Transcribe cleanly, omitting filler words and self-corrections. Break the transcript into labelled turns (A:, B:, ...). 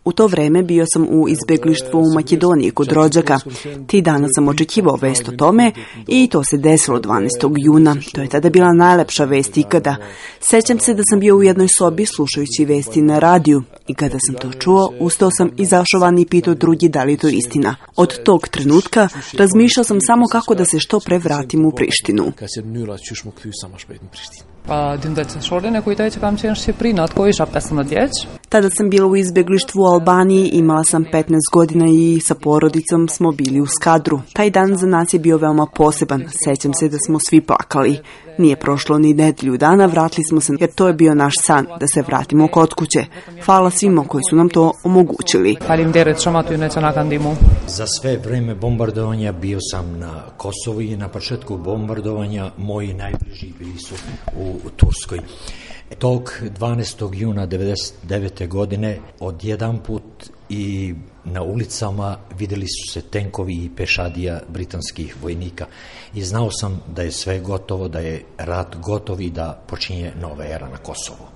A: U to vreme bio sam u izbjeglištvu u Makedoniji kod rođaka. Ti dana sam očekivao vest o tome i to se desilo 12. juna. To je tada bila najlepša vest ikada. Sećam se da sam bio u jednoj sobi slušajući vesti na radiju i kada sam to čuo, ustao sam izašao van i pitao drugi da li je to istina. Od tog trenutka razmišljao sam samo kako da se što pre vratim u Prištinu. Tada sam bila u izbjeglištvu u Albaniji, imala sam 15 godina i sa porodicom smo bili u Skadru. Taj dan za nas je bio veoma poseban. Sećam se da smo svi plakali. Nije prošlo ni nedelju dana, vratili smo se jer to je bio naš san, da se vratimo kod kuće. Hvala svima koji su nam to omogućili.
B: Za sve vreme bombardovanja bio sam na Kosovu i na početku bombardovanja moji najbliži bili su u Turskoj. Tog 12. juna 1999. godine odjedan put i na ulicama vidjeli su se tenkovi i pešadija britanskih vojnika i znao sam da je sve gotovo, da je rat gotov i da počinje nova era na Kosovu.